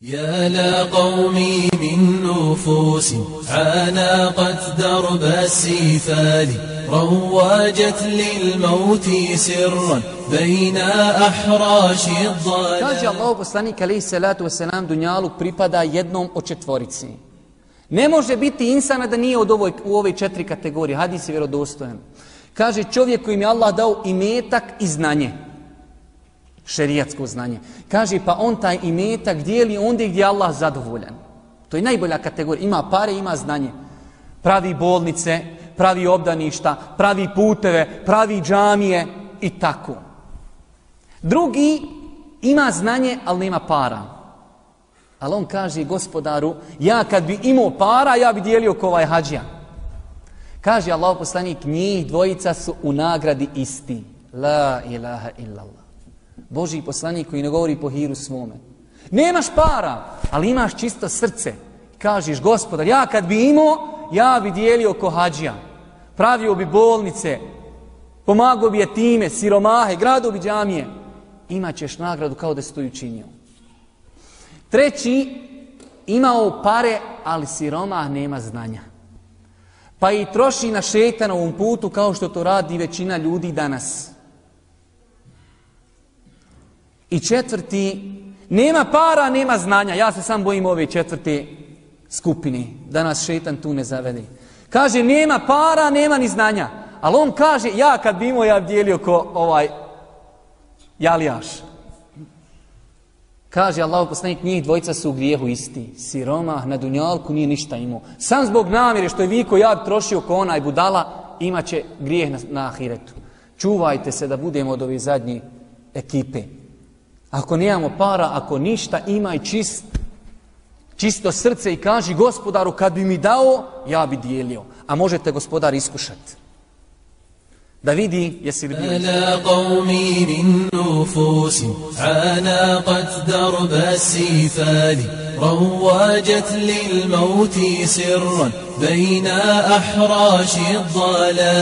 يا لقومي من نفوس عانقت درب السفال رواجت للموت سرا بين أحراش الضلال. Kaže Allah poslanik alejhi salatu vesselam, dunjaluk pripada jednom od četvorici. Ne može biti insana da nije u ove četiri kategorije. Hadis je vjerodostojan. Kaže čovjek kojim je Allah dao imetak i znanje. Šerijatsko znanje. Kaže pa on taj imetak dijeli ondje gdje je Allah zadovoljan. To je najbolja kategorija. Ima pare, ima znanje. Pravi bolnice, pravi obdaništa, pravi puteve, pravi džamije i tako. Drugi ima znanje, ali nema para. Ali on kaže gospodaru, ja kad bi imao para, ja bi dijelio ko ovaj hadžija. Kaže Allah poslanik, njih dvojica su u nagradi isti. La ilaha illallah. Božji poslanik koji ne govori po hiru svome. Nemaš para, ali imaš čisto srce. Kažeš gospodar, ja kad bi imao, ja bi dijelio ko hadžija. Pravio bi bolnice, pomagao bi jetime, siromahe, gradio bi džamije. Imaćeš nagradu kao da si to učinio. Treći, imao pare, ali siromah nema znanja. Pa i troši na šejtanovom putu kao što to radi većina ljudi danas. I četvrti, nema para, nema znanja. Ja se sam bojim ove četvrte skupine, da nas šejtan tu ne zavede. Kaže, nema para, nema ni znanja. Ali on kaže, ja kad bi imao, ja bi dijelio ko ovaj jalijaš. Kaže Allah poslanik, njih dvojica su u grijehu isti. Siromah na dunjalku nije ništa imao. Sam zbog namjere što je viko ja bi trošio ko onaj budala, imaće grijeh na ahiretu. Čuvajte se da budemo od ove zadnje ekipe. Ako nemamo para, ako ništa, imaj čisto srce i kaži gospodaru, kad bi mi dao, ja bi dijelio. A možete gospodar iskušati. Da vidi jesi li bio. Ala qawmi min nufusin anaqat darba as-sifali rawajat lil mauti sirran bayna ahrashi ad-dhalal.